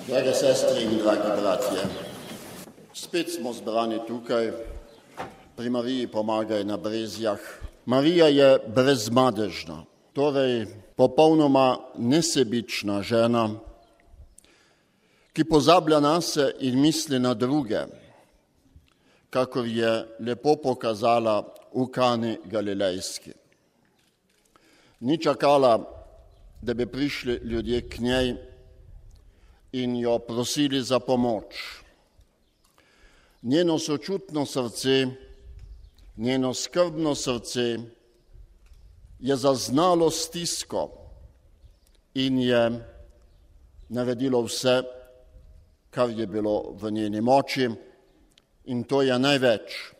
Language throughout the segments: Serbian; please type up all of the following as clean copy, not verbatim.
Drage sestre in dragi bratje, spet smo zbrani tukaj, pri Mariji Pomagaj na Brezjah. Marija je brezmadežna, torej popolnoma nesebična žena, ki pozablja nase in misli na druge, kakor je lepo pokazala v Kani Galilejski. Ni čakala, da bi prišli ljudje k njej in jo prosili za pomoč. Njeno sočutno srce, njeno skrbno srce je zaznalo stisko in je naredilo vse, kar je bilo v njeni moči, in to je največ.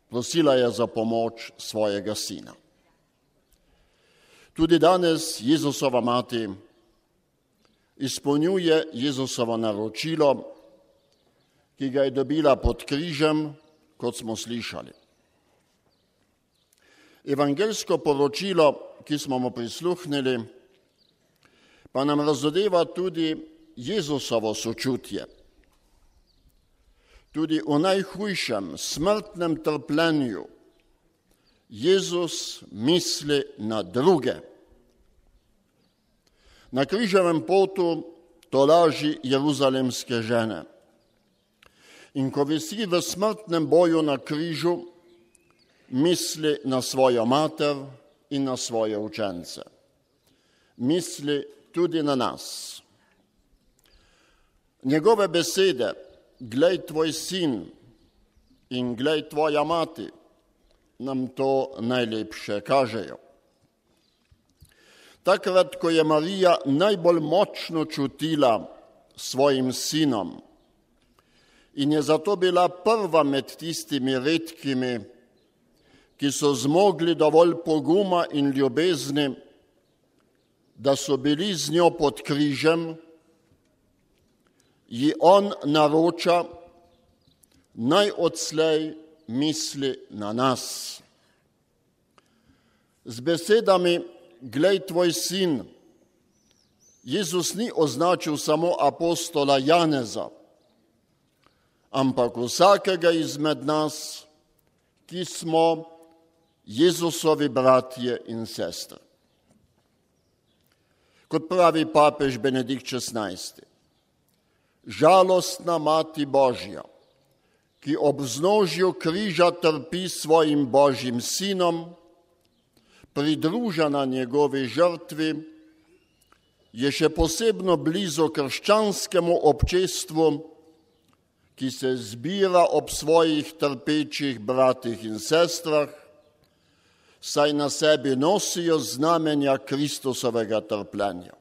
Prosila je za pomoč svojega sina. Tudi danes Jezusova mati izpolnjuje Jezusovo naročilo, ki ga je dobila pod križem, kot smo slišali. Evangeljsko poročilo, ki smo mu prisluhnili, pa nam razodeva tudi Jezusovo sočutje. Tudi v najhujšem smrtnem trpljenju Jezus misli na druge. Na križevem potu tolaži jeruzalemske žene. In ko visi v smrtnem boju na križu, misli na svojo mater in na svoje učence. Misli tudi na nas. Njegove besede, glej tvoj sin in glej tvoja mati, nam to najlepše kažejo. Takrat, ko je Marija najbolj močno čutila svojim sinom in je zato bila prva med tistimi redkimi, ki so zmogli dovolj poguma in ljubezni, da so bili z njo pod križem, ji on naroča, naj odslej misli na nas. Z besedami glej tvoj sin, Jezus ni označil samo apostola Janeza, ampak vsakega izmed nas, ki smo Jezusovi bratje in sestre. Kot pravi papež Benedikt XVI, žalostna mati Božja, ki ob vznožju križa trpi svojim Božjim sinom, pridružena njegovi žrtvi, je še posebno blizu krščanskemu občestvu, ki se zbira ob svojih trpečih bratih in sestrah, saj na sebi nosijo znamenja Kristusovega trpljenja.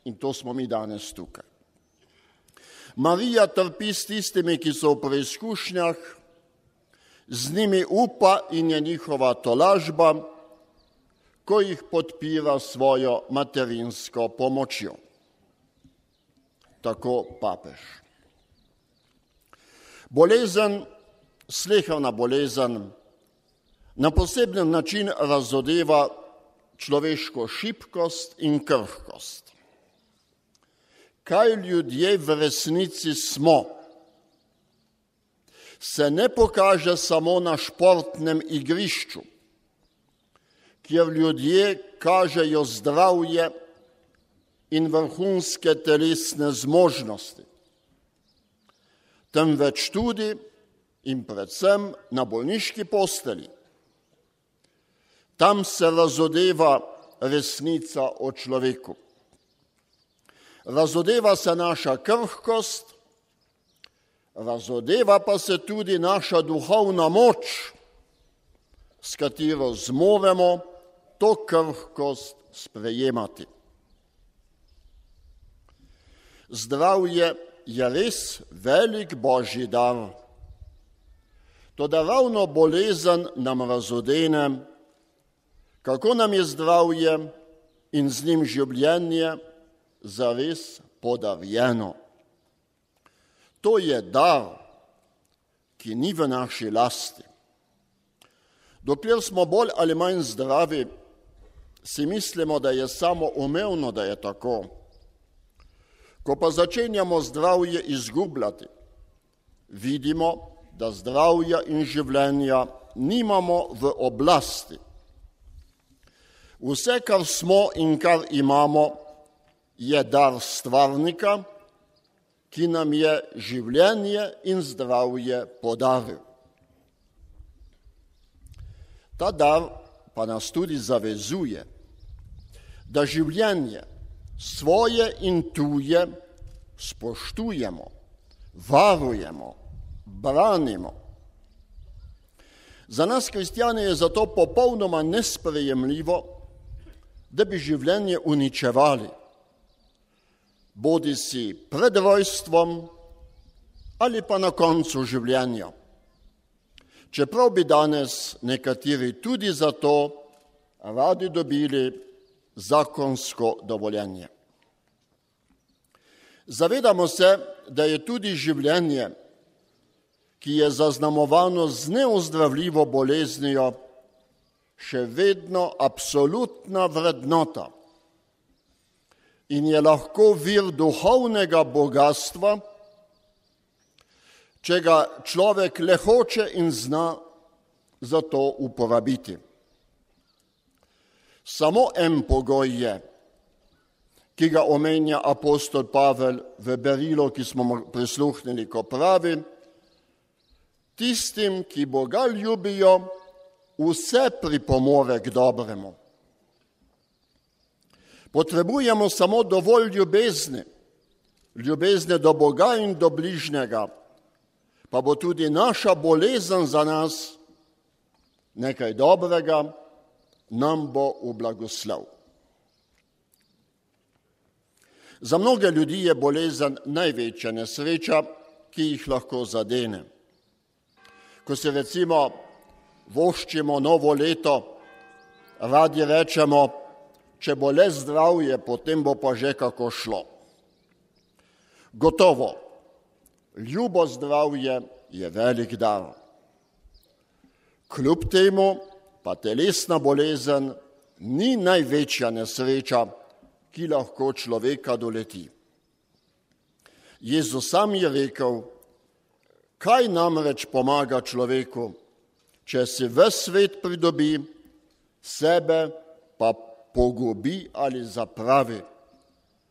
In to smo mi danes tukaj. Marija trpi s tistimi, ki so v preizkušnjah, z njimi upa in je njihova tolažba, ko jih podpira svojo materinsko pomočjo. Tako papež. Bolezen, sleherna bolezen, na poseben način razodeva človeško šibkost in krhkost. Kaj ljudje v resnici smo, se ne pokaže samo na športnem igrišču, kjer ljudje kažejo zdravje in vrhunske telesne zmožnosti, temveč tudi in predvsem na bolniški postelji. Tam se razodeva resnica o človeku. Razodeva se naša krhkost, razodeva pa se tudi naša duhovna moč, s katero zmoremo to krhkost sprejemati. Zdravje je res velik Božji dar. Toda ravno bolezen nam razodene, kako nam je zdravje in z njim življenje zares podarjeno. To je dar, ki ni v naši lasti. Dokler smo bolj ali manj zdravi, si mislimo, da je samoumevno, da je tako. Ko pa začenjamo zdravje izgubljati, vidimo, da zdravja in življenja nimamo v oblasti. Vse, kar smo in kar imamo, je dar stvarnika, ki nam je življenje in zdravje podaril. Ta dar pa nas tudi zavezuje, da življenje svoje in tuje spoštujemo, varujemo, branimo. Za nas kristjane je zato popolnoma nesprejemljivo, da bi življenje uničevali, bodisi pred rojstvom ali pa na koncu življenja. Čeprav bi danes nekateri tudi za to radi dobili zakonsko dovoljenje. Zavedamo se, da je tudi življenje, ki je zaznamovano z neozdravljivo boleznijo, še vedno absolutna vrednota in je lahko vir duhovnega bogatstva, če ga človek le hoče in zna za to uporabiti. Samo en pogoj je, ki ga omenja apostol Pavel v berilu, ki smo mu prisluhnili, ko pravi: tistim, ki Boga ljubijo, vse pripomore k dobremu. Potrebujemo samo dovolj ljubezni do Boga in do bližnjega, pa bo tudi naša bolezen za nas nekaj dobrega, nam bo v blagoslov. Za mnoge ljudi je bolezen največja nesreča, ki jih lahko zadene. Ko se recimo voščimo novo leto, radi rečemo, če bo le zdravje, potem bo pa že kako šlo. Gotovo, ljubo zdravje je velik dar. Kljub temu pa telesna bolezen ni največja nesreča, ki lahko človeka doleti. Jezus sam je rekel: kaj namreč pomaga človeku, če si ves svet pridobi, sebe pa pogubi ali zapravi,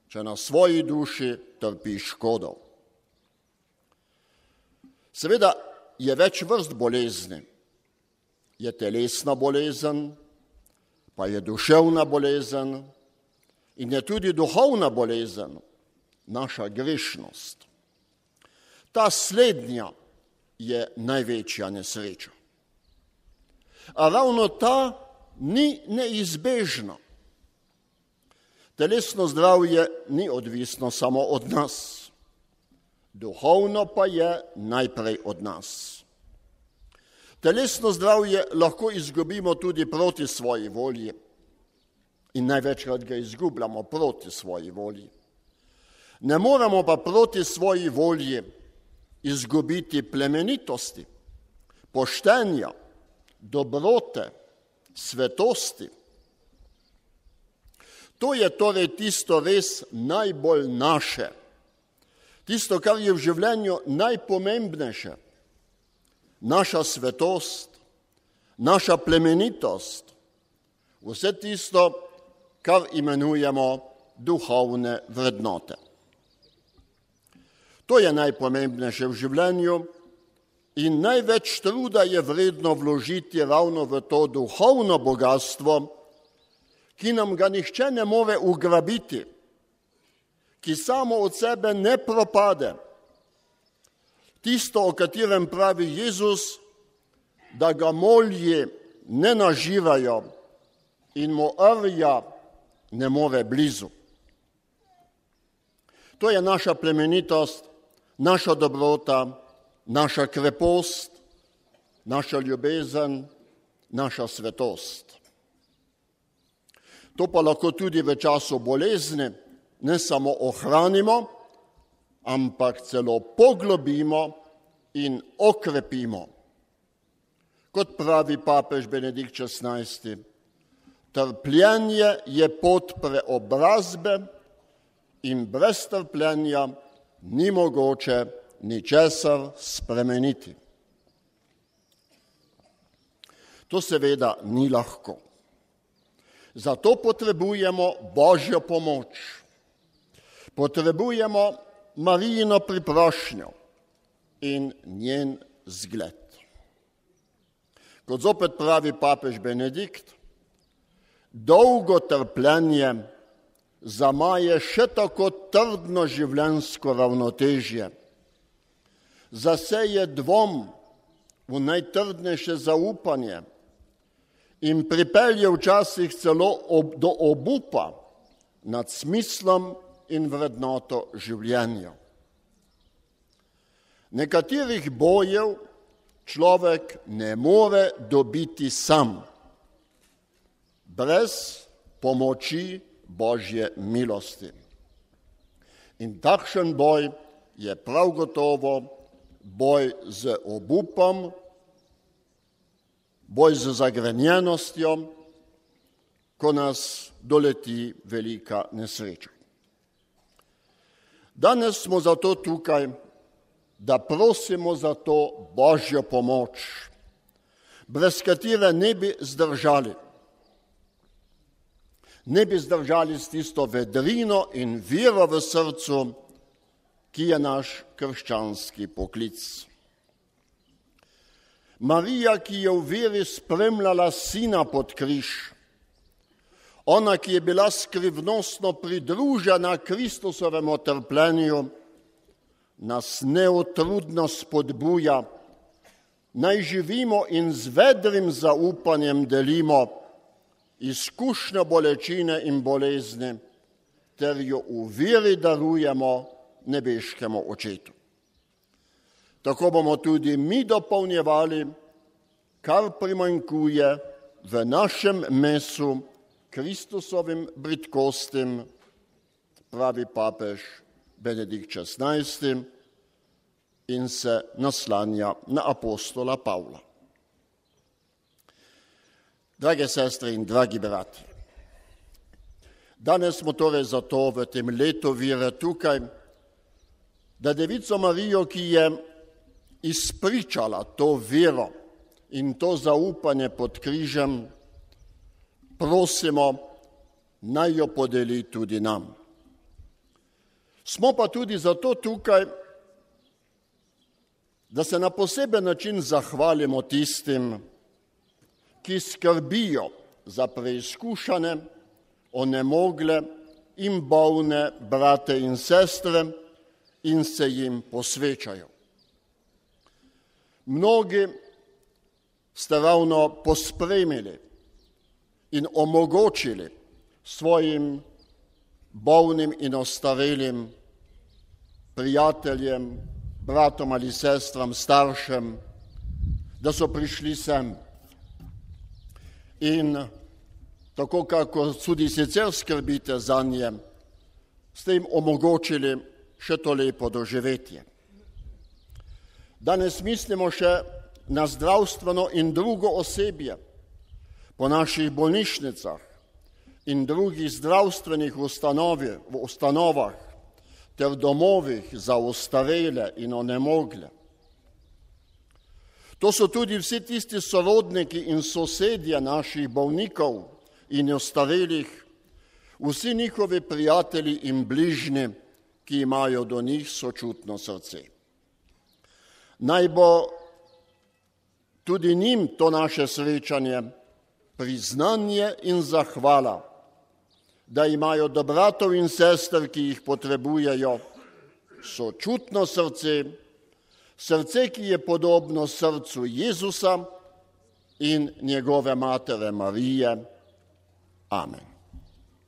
če na svoji duši trpi škodo. Seveda je več vrst bolezni. Je telesna bolezen, pa je duševna bolezen in je tudi duhovna bolezen, naša grešnost. Ta slednja je največja nesreča. A ravno ta ni neizbežna. Telesno zdravje ni odvisno samo od nas, duhovno pa je najprej od nas. Telesno zdravje lahko izgubimo tudi proti svoji volji in največkrat ga izgubljamo proti svoji volji. Ne moremo pa proti svoji volji izgubiti plemenitosti, poštenja, dobrote, svetosti. To je torej tisto res najbolj naše, tisto, kar je v življenju najpomembnejše. Naša svetost, naša plemenitost, vse tisto, kar imenujemo duhovne vrednote. To je najpomembnejše v življenju in največ truda je vredno vložiti ravno v to duhovno bogatstvo, ki nam ga nihče ne more ugrabiti, ki samo od sebe ne propade. Tisto, o katerem pravi Jezus, da ga molji ne nažirajo in mu rja ne more blizu. To je naša plemenitost, naša dobrota, naša krepost, naša ljubezen, naša svetost. To pa lahko tudi v času bolezni ne samo ohranimo, ampak celo poglobimo in okrepimo. Kot pravi papež Benedikt XVI, trpljenje je pot preobrazbe in brez trpljenja ni mogoče ničesar spremeniti. To seveda ni lahko. Zato potrebujemo Božjo pomoč. Potrebujemo Marijino priprošnjo in njen zgled. Kot zopet pravi papež Benedikt, dolgo trpljenje zamaje še tako trdno življenjsko ravnotežje, zaseje dvom v najtrdnejše zaupanje in pripelje včasih celo do obupa nad smislom in vrednoto življenja. Nekaterih bojev človek ne more dobiti sam, brez pomoči Božje milosti. In takšen boj je prav gotovo boj z obupom, boj z zagrenjenostjo, ko nas doleti velika nesreča. Danes smo zato tukaj, da prosimo za to Božjo pomoč, brez katere ne bi zdržali. Ne bi zdržali s tisto vedrino in vero v srcu, ki je naš krščanski poklic. Marija, ki je v veri spremljala sina pod križ, ona, ki je bila skrivnostno pridružena Kristusovemu trpljenju, nas neutrudno spodbuja, naj živimo in z vedrim zaupanjem delimo izkušnjo bolečine in bolezni, ter jo v veri darujemo nebeškemu Očetu. Tako bomo tudi mi dopolnjevali, kar primanjkuje v našem mesu Kristusovim bridkostim, pravi papež Benedikt XVI in se naslanja na apostola Pavla. Drage sestre in dragi brati, danes smo torej zato v tem letu vere tukaj, da Devico Marijo, ki je izpričala to vero in to zaupanje pod križem, prosimo, naj jo podeli tudi nam. Smo pa tudi zato tukaj, da se na poseben način zahvalimo tistim, ki skrbijo za preizkušane, onemogle in bolne brate in sestre in se jim posvečajo. Mnogi ste ravno pospremili in omogočili svojim bolnim in ostarelim prijateljem, bratom ali sestram, staršem, da so prišli sem. In tako, kako tudi sicer skrbite za nje, ste jim omogočili še to lepo doživetje. Danes mislimo še na zdravstveno in drugo osebje po naših bolnišnicah in drugih zdravstvenih ustanovah ter domovih za ostarele in onemogle. To so tudi vsi tisti sorodniki in sosedje naših bolnikov in ostarelih, vsi njihovi prijatelji in bližnji, ki imajo do njih sočutno srce. Naj bo tudi njim to naše srečanje priznanje in zahvala, da imajo do bratov in sester, ki jih potrebujejo, sočutno srce, srce, ki je podobno srcu Jezusa in njegove matere Marije. Amen.